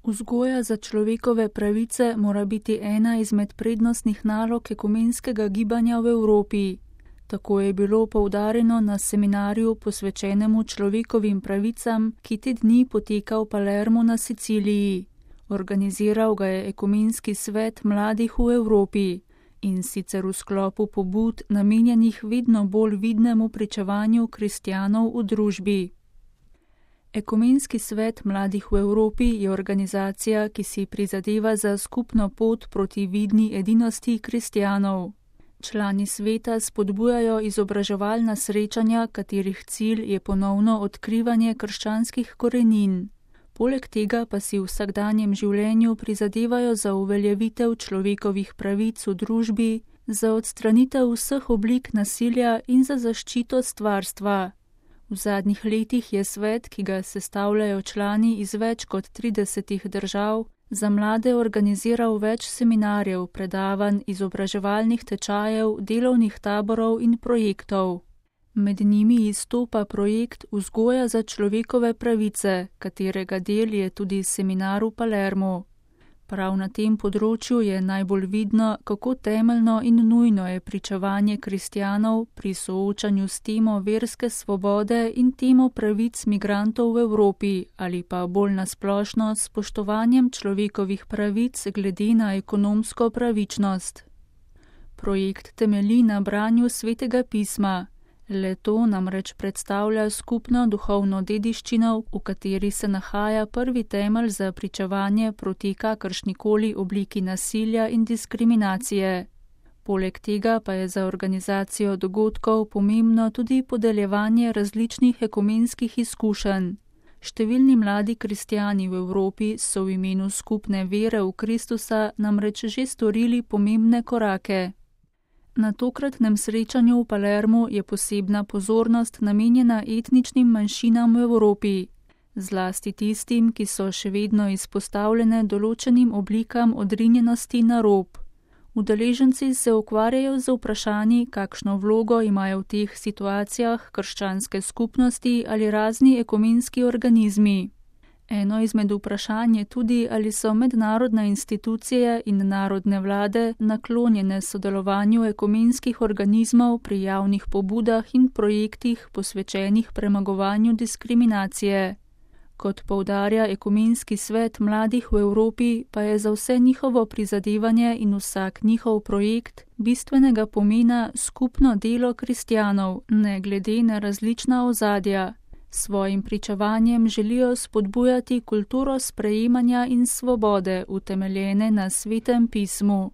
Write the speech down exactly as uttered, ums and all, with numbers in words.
Vzgoja za človekove pravice mora biti ena izmed prednostnih nalog ekumenskega gibanja v Evropi. Tako je bilo poudarjeno na seminarju posvečenemu človekovim pravicam, ki te dni poteka v Palermu na Siciliji. Organiziral ga je Ekumenski svet mladih v Evropi, in sicer v sklopu pobud namenjenih vedno bolj vidnemu pričevanju kristjanov v družbi. Ekumenski svet mladih v Evropi je organizacija, ki si prizadeva za skupno pot proti vidni edinosti kristjanov. Člani sveta spodbujajo izobraževalna srečanja, katerih cilj je ponovno odkrivanje krščanskih korenin. Poleg tega pa si v vsakdanjem življenju prizadevajo za uveljavitev človekovih pravic v družbi, za odstranitev vseh oblik nasilja in za zaščito stvarstva. V zadnjih letih je svet, ki ga sestavljajo člani iz več kot tridesetih držav, za mlade organiziral več seminarjev, predavanj, izobraževalnih tečajev, delovnih taborov in projektov. Med njimi izstopa projekt Vzgoja za človekove pravice, katerega del je tudi seminar v Palermu. Prav na tem področju je najbolj vidno, kako temeljno in nujno je pričevanje kristjanov pri soočanju s temo verske svobode in temo pravic migrantov v Evropi ali pa bolj nasplošno s spoštovanjem človekovih pravic glede na ekonomsko pravičnost. Projekt temelji na branju Svetega pisma. Le to namreč predstavlja skupno duhovno dediščino, v kateri se nahaja prvi temelj za pričevanje proti kakršnikoli obliki nasilja in diskriminacije. Poleg tega pa je za organizacijo dogodkov pomembno tudi podeljevanje različnih ekumenskih izkušenj. Številni mladi kristjani v Evropi so v imenu skupne vere v Kristusa namreč že storili pomembne korake. Na tokratnem srečanju v Palermu je posebna pozornost namenjena etničnim manjšinam v Evropi, zlasti tistim, ki so še vedno izpostavljene določenim oblikam odrinjenosti na rob. Udeleženci se ukvarjajo z vprašanji, kakšno vlogo imajo v teh situacijah krščanske skupnosti ali razni ekumenski organizmi. Eno izmed vprašanj je tudi, ali so mednarodne institucije in narodne vlade naklonjene sodelovanju ekumenskih organizmov pri javnih pobudah in projektih posvečenih premagovanju diskriminacije. Kot poudarja Ekumenski svet mladih v Evropi, pa je za vse njihovo prizadevanje in vsak njihov projekt bistvenega pomena skupno delo kristjanov, ne glede na različna ozadja. Svojim pričevanjem želijo spodbujati kulturo sprejemanja in svobode, utemeljene na Svetem pismu.